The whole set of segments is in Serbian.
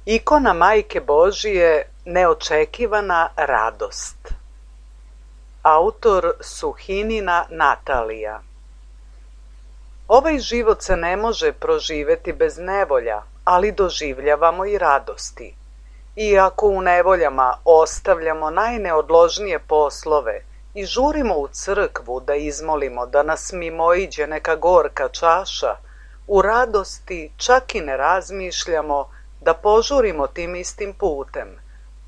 Ikona Majke Božije, neočekivana radost. Autor Suhinina Natalija. Ovaj život se ne može proživeti bez nevolja, ali doživljavamo i radosti. Iako u nevoljama ostavljamo najneodložnije poslove i žurimo u crkvu da izmolimo da nas mimoiđe neka gorka čaša, u radosti čak i ne razmišljamo da požurimo tim istim putem,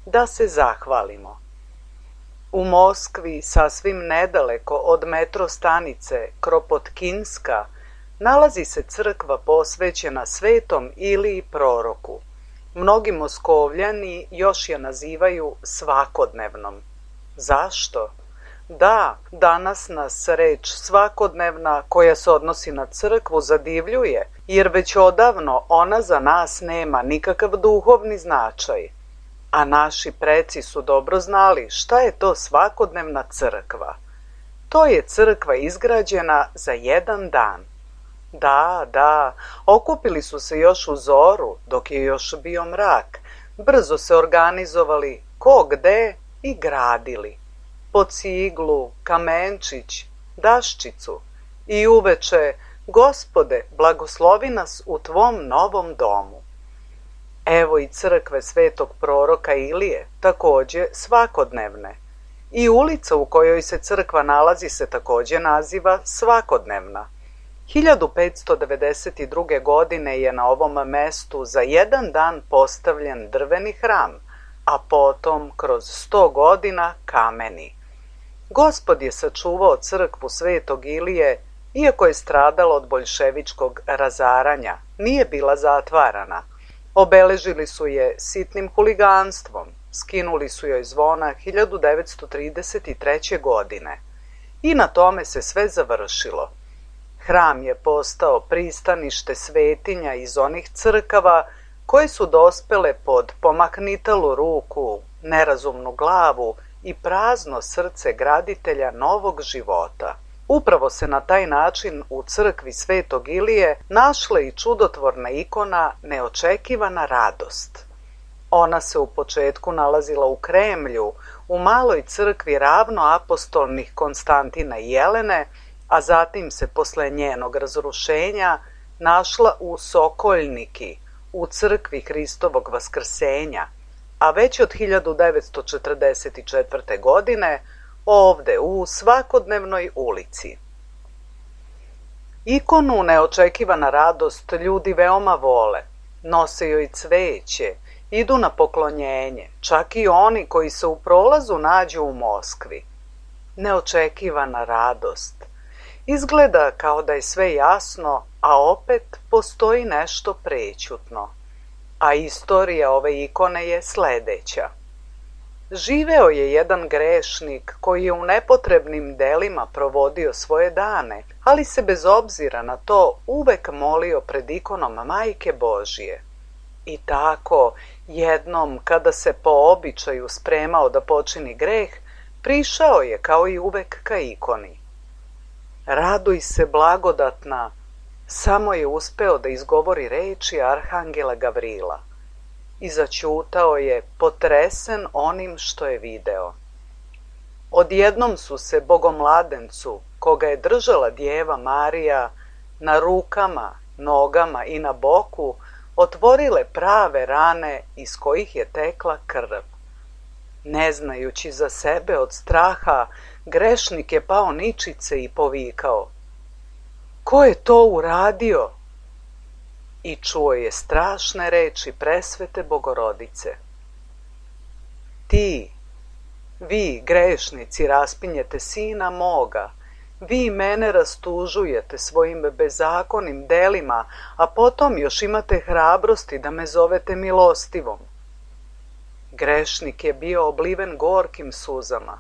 da se zahvalimo. U Moskvi, sasvim nedaleko od metro stanice Kropotkinska, nalazi se crkva posvećena Svetom Iliji Proroku. Mnogi Moskovljani još je nazivaju svakodnevnom. Zašto? Da, danas nas reč svakodnevna koja se odnosi na crkvu zadivljuje, jer već odavno ona za nas nema nikakav duhovni značaj. A naši preci su dobro znali šta je to svakodnevna crkva. To je crkva izgrađena za jedan dan. Da, okupili su se još u zoru, dok je još bio mrak. Brzo se organizovali ko gde i gradili. Po ciglu, kamenčić, daščicu i uveče, Gospode, blagoslovi nas u tvom novom domu. Evo i crkve Svetog Proroka Ilije, takođe svakodnevne. I ulica u kojoj se crkva nalazi se takođe naziva svakodnevna. 1592. godine je na ovom mestu za jedan dan postavljen drveni hram, a potom kroz 100 godina kameni. Gospod je sačuvao crkvu Svetog Ilije, iako je stradala od boljševičkog razaranja, nije bila zatvarana. Obeležili su je sitnim huliganstvom, skinuli su joj zvona 1933. godine. I na tome se sve završilo. Hram je postao pristanište svetinja iz onih crkava koje su dospele pod pomahnitalu ruku, nerazumnu glavu i prazno srce graditelja novog života. Upravo se na taj način u crkvi Svetog Ilije našla i čudotvorna ikona neočekivana radost. Ona se u početku nalazila u Kremlju, u maloj crkvi ravnoapostolnih Konstantina i Jelene, a zatim se posle njenog razrušenja našla u Sokoljniki, u crkvi Hristovog Vaskrsenja, a već od 1944. godine ovde u svakodnevnoj ulici. Ikonu neočekivana radost ljudi veoma vole, nose joj cveće, idu na poklonjenje, čak i oni koji se u prolazu nađu u Moskvi. Neočekivana radost. Izgleda kao da je sve jasno, a opet postoji nešto prećutno. A istorija ove ikone je sledeća. Živeo je jedan grešnik koji je u nepotrebnim delima provodio svoje dane, ali se bez obzira na to uvek molio pred ikonom Majke Božije. I tako, jednom kada se po običaju spremao da počini greh, prišao je kao i uvek ka ikoni. Raduj se blagodatna, samo je uspeo da izgovori reči arhangela Gavrila. I zaćutao je, potresen onim što je video. Odjednom su se bogomladencu, koga je držala Djeva Marija, na rukama, nogama i na boku, otvorile prave rane iz kojih je tekla krv. Ne znajući za sebe od straha, grešnik je pao ničice i povikao: "Ko je to uradio?" I čuo je strašne reči presvete Bogorodice: "Ti, vi grešnici, raspinjete sina moga, vi mene rastužujete svojim bezakonim delima, a potom još imate hrabrosti da me zovete milostivom." Grešnik je bio obliven gorkim suzama.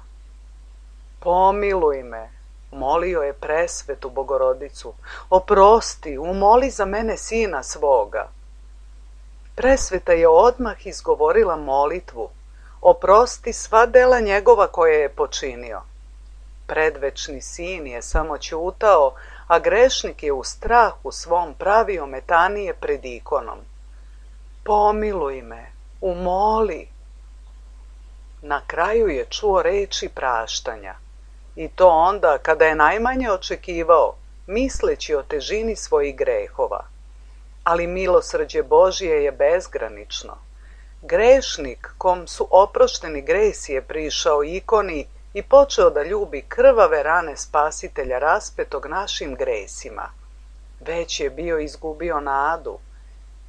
"Pomiluj me," molio je presvetu Bogorodicu, "oprosti, umoli za mene sina svoga." Presveta je odmah izgovorila molitvu: "Oprosti sva dela njegova koje je počinio." Predvečni sin je samo ćutao, a grešnik je u strahu svom pravio metanije pred ikonom. pomiluj me, umoli. Na kraju je čuo reči praštanja, i to onda kada je najmanje očekivao, misleći o težini svojih grehova. Ali milosrđe Božje je bezgranično. Grešnik kom su oprošteni gresi je prišao ikoni i počeo da ljubi krvave rane Spasitelja raspetog našim gresima. Već je bio izgubio nadu.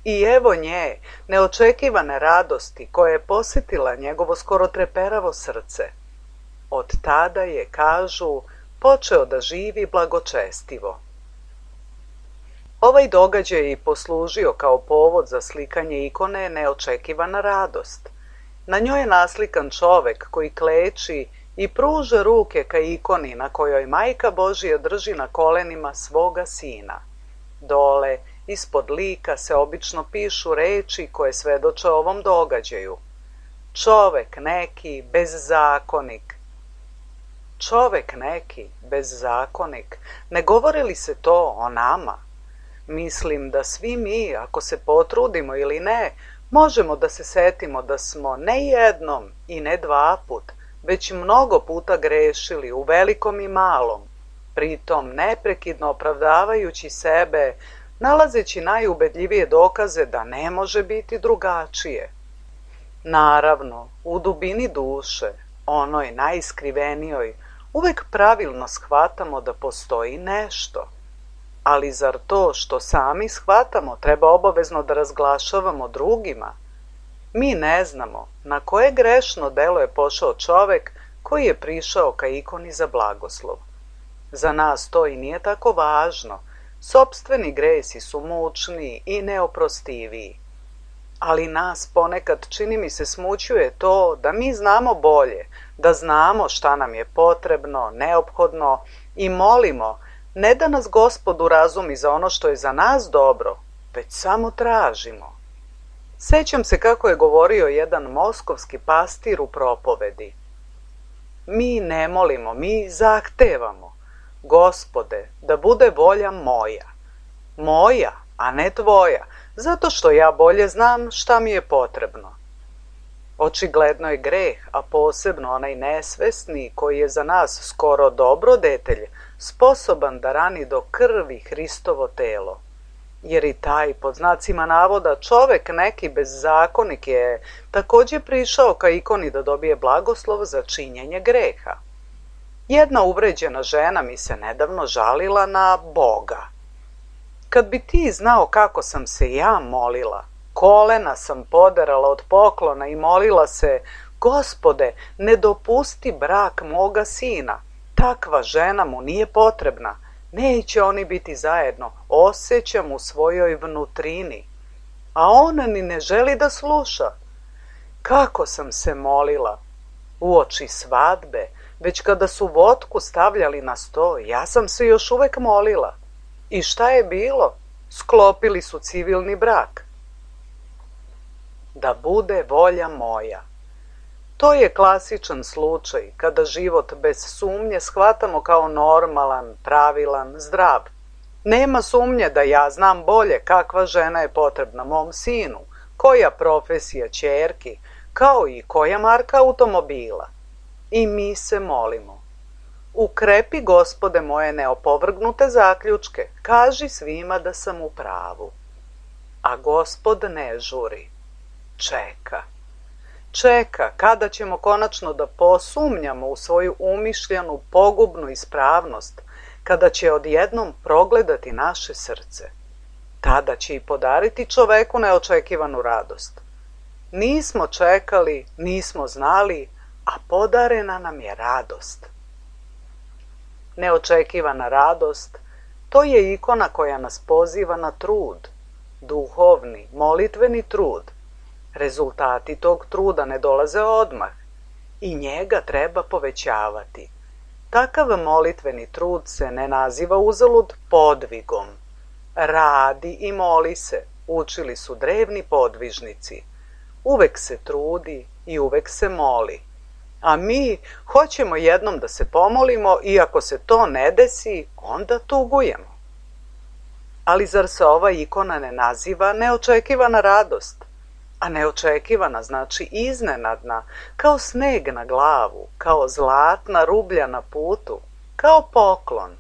I evo nje, neočekivane radosti koja je posjetila njegovo skoro treperavo srce. Od tada je, kažu, počeo da živi blagočestivo. Ovaj događaj je i poslužio kao povod za slikanje ikone neočekivana radost. Na njoj je naslikan čovek koji kleči i pruža ruke ka ikoni na kojoj Majka Božija drži na kolenima svoga sina. Dole, ispod lika se obično pišu reči koje svedoče ovom događaju. Čovek neki bezzakonik. Čovek neki bezzakonik. Ne govori li se to o nama? Mislim da svi mi, ako se potrudimo ili ne, možemo da se setimo da smo ne jednom i ne dva put, već mnogo puta grešili u velikom i malom, pritom neprekidno opravdavajući sebe, nalazeći najubedljivije dokaze da ne može biti drugačije. Naravno, u dubini duše, onoj najskrivenijoj, uvek pravilno shvatamo da postoji nešto. Ali zar to što sami shvatamo treba obavezno da razglašavamo drugima? Mi ne znamo na koje grešno delo je pošao čovek koji je prišao ka ikoni za blagoslov. Za nas to i nije tako važno. Sopstveni gresi su mučniji i neoprostiviji. Ali nas ponekad, čini mi se, smućuje to da mi znamo bolje, da znamo šta nam je potrebno, neophodno i molimo, ne da nas Gospod urazumi za ono što je za nas dobro, već samo tražimo. Sećam se kako je govorio jedan moskovski pastir u propovedi. Mi ne molimo, mi zahtevamo. Gospode, da bude volja moja. Moja, a ne tvoja, zato što ja bolje znam šta mi je potrebno. Očigledno je greh, a posebno onaj nesvesni koji je za nas skoro dobrodetelj, sposoban da rani do krvi Hristovo telo. Jer i taj, pod znacima navoda, čovek neki bezzakonik je također prišao ka ikoni da dobije blagoslov za činjenje greha. Jedna uvređena žena mi se nedavno žalila na Boga. Kad bi ti znao kako sam se ja molila, kolena sam poderala od poklona i molila se, Gospode, ne dopusti brak moga sina. Takva žena mu nije potrebna. Neće oni biti zajedno, osjećam u svojoj vnutrini. A ona ni ne želi da sluša. Kako sam se molila. Uoči svadbe, već kada su votku stavljali na sto, ja sam se još uvek molila. I šta je bilo? Sklopili su civilni brak. Da bude volja moja. To je klasičan slučaj kada život bez sumnje shvatamo kao normalan, pravilan, zdrav. Nema sumnje da ja znam bolje kakva žena je potrebna mom sinu, koja profesija ćerki, kao i koja marka automobila. I mi se molimo. Ukrepi, Gospode, moje neopovrgnute zaključke, kaži svima da sam u pravu. A Gospod ne žuri. Čeka. Čeka kada ćemo konačno da posumnjamo u svoju umišljanu pogubnu ispravnost, kada će odjednom progledati naše srce. Tada će i podariti čoveku neočekivanu radost. Nismo čekali, nismo znali, a podarena nam je radost. Neočekivana radost, to je ikona koja nas poziva na trud, duhovni, molitveni trud. Rezultati tog truda ne dolaze odmah i njega treba povećavati. Takav molitveni trud se ne naziva uzalud podvigom. Radi i moli se, učili su drevni podvižnici. Uvek se trudi i uvek se moli. A mi hoćemo jednom da se pomolimo i ako se to ne desi, onda tugujemo. Ali zar se ova ikona ne naziva neočekivana radost? a neočekivana znači iznenadna, kao sneg na glavu, kao zlatna rublja na putu, kao poklon.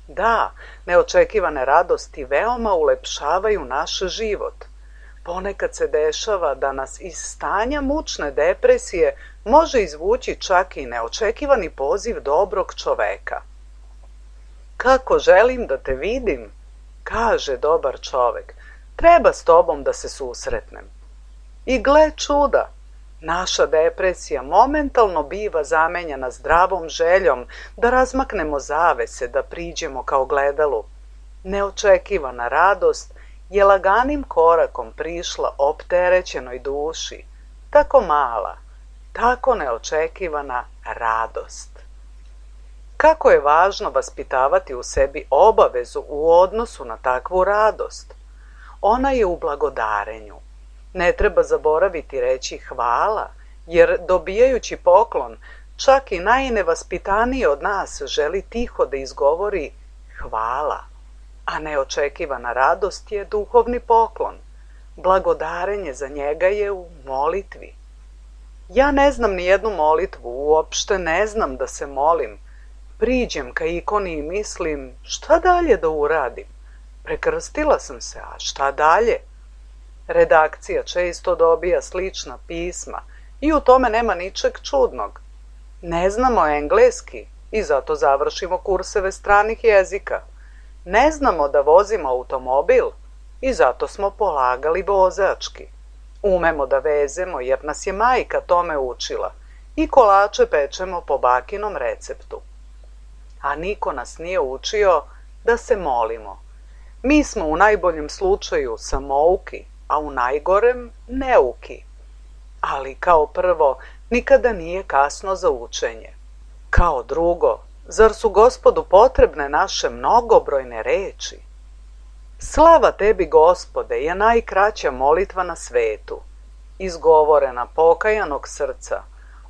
Da, neočekivane radosti veoma ulepšavaju naš život. Ponekad se dešava da nas iz stanja mučne depresije može izvući čak i neočekivani poziv dobrog čoveka. Kako želim da te vidim, kaže dobar čovek, treba s tobom da se susretnem. I gle čuda, naša depresija momentalno biva zamenjena zdravom željom da razmaknemo zavese, da priđemo kao gledalu. Neočekivana radost je laganim korakom prišla opterećenoj duši, tako mala, tako neočekivana radost. Kako je važno vaspitavati u sebi obavezu u odnosu na takvu radost? Ona je u blagodarenju. Ne treba zaboraviti reći hvala, jer dobijajući poklon, čak i najnevaspitaniji od nas želi tiho da izgovori hvala, a neočekivana radost je duhovni poklon. Blagodarenje za njega je u molitvi. Ja ne znam ni jednu molitvu, uopšte ne znam da se molim. Priđem ka ikoni i mislim, šta dalje da uradim? Prekrstila sam se, a šta dalje? Redakcija često dobija slična pisma i u tome nema ničeg čudnog. Ne znamo engleski i zato završimo kurseve stranih jezika. Ne znamo da vozimo automobil i zato smo polagali vozački. Umemo da vezemo jer nas je majka tome učila i kolače pečemo po bakinom receptu. A niko nas nije učio da se molimo. Mi smo u najboljem slučaju samouki, a u najgorem neuki. Ali kao prvo, nikada nije kasno za učenje. Kao drugo, zar su Gospodu potrebne naše mnogobrojne reči? Slava tebi, Gospode, je najkraća molitva na svetu. Izgovorena pokajanog srca,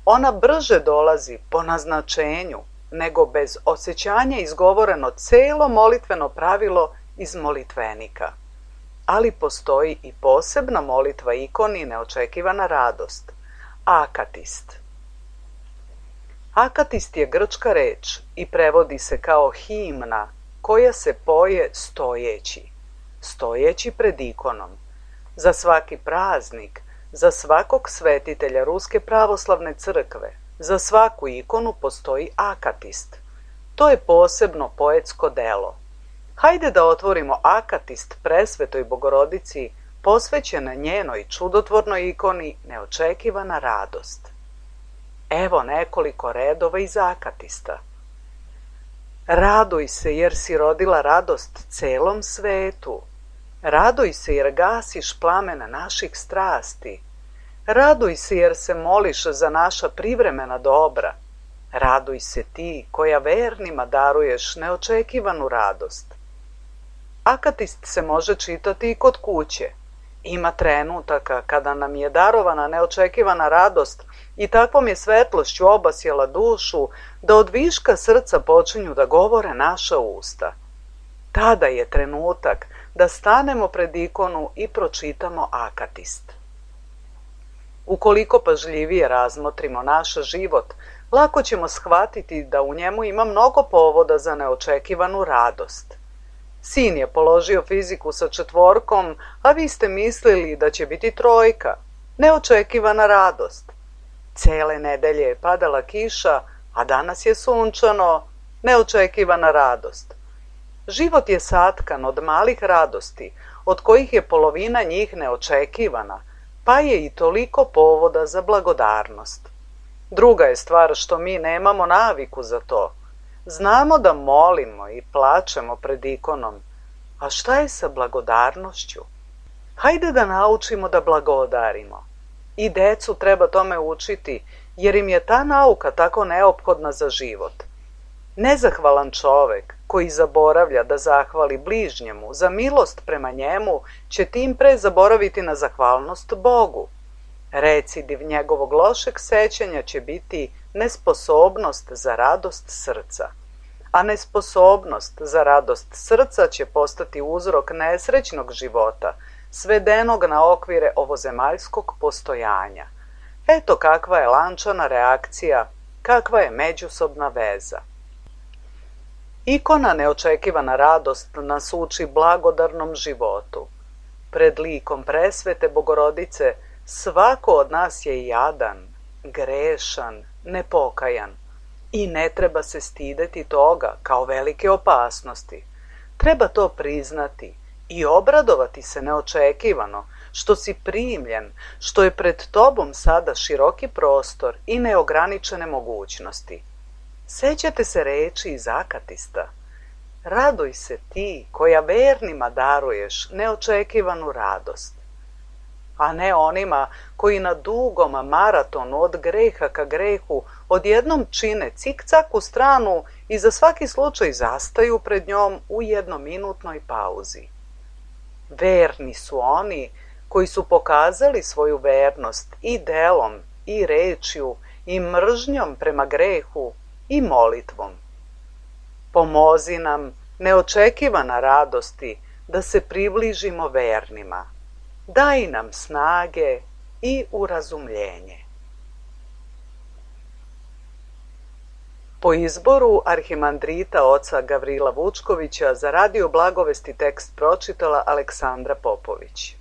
ona brže dolazi po naznačenju, nego bez osjećanja izgovoreno celo molitveno pravilo iz molitvenika. Ali postoji i posebna molitva ikoni neočekivana radost, akatist. Akatist je grčka reč i prevodi se kao himna koja se poje stojeći pred ikonom. Za svaki praznik, za svakog svetitelja Ruske pravoslavne crkve, za svaku ikonu postoji akatist. To je posebno poetsko delo. Hajde da otvorimo akatist Presvetoj Bogorodici, posvećena njenoj čudotvornoj ikoni neočekivana radost. Evo nekoliko redova iz akatista. Raduj se jer si rodila radost celom svetu. Raduj se jer gasiš plamen naših strasti. Raduj se jer se moliš za naša privremena dobra. Raduj se ti koja vernima daruješ neočekivanu radost. Akatist se može čitati i kod kuće. Ima trenutaka kada nam je darovana neočekivana radost i takvom je svetlošću obasjala dušu da od viška srca počinju da govore naša usta. Tada je trenutak da stanemo pred ikonu i pročitamo akatist. Ukoliko pažljivije razmotrimo naš život, lako ćemo shvatiti da u njemu ima mnogo povoda za neočekivanu radost. Sin je položio fiziku sa 4, a vi ste mislili da će biti 3. Neočekivana radost. Cele nedelje je padala kiša, a danas je sunčano. Neočekivana radost. Život je satkan od malih radosti, od kojih je polovina njih neočekivana, pa je i toliko povoda za blagodarnost. Druga je stvar što mi nemamo naviku za to. Znamo da molimo i plačemo pred ikonom, a šta je sa blagodarnošću? Hajde da naučimo da blagodarimo. I decu treba tome učiti, jer im je ta nauka tako neophodna za život. Nezahvalan čovek koji zaboravlja da zahvali bližnjemu za milost prema njemu će tim pre zaboraviti na zahvalnost Bogu. Recidiv njegovog lošeg sećanja će biti nesposobnost za radost srca, a nesposobnost za radost srca će postati uzrok nesrećnog života svedenog na okvire ovozemaljskog postojanja. Eto kakva je lančana reakcija, kakva je međusobna veza. Ikona neočekivana radost nas uči blagodarnom životu. Pred likom presvete Bogorodice svako od nas je jadan, grešan, nepokajan i ne treba se stideti toga kao velike opasnosti. Treba to priznati i obradovati se neočekivano, što si primljen, što je pred tobom sada široki prostor i neograničene mogućnosti. Sećate se reči iz Akatista: raduj se ti koja vernima daruješ neočekivanu radost, a ne onima koji na dugom maratonu od greha ka grehu odjednom čine cik-cak u stranu i za svaki slučaj zastaju pred njom u jednominutnoj pauzi. Verni su oni koji su pokazali svoju vernost i delom, i rečju, i mržnjom prema grehu, i molitvom. Pomozi nam, neočekivana radosti, da se približimo vernima. Daj nam snage i urazumljenje. Po izboru arhimandrita oca Gavrila Vučkovića za Radio Blagovesti tekst pročitala Aleksandra Popović.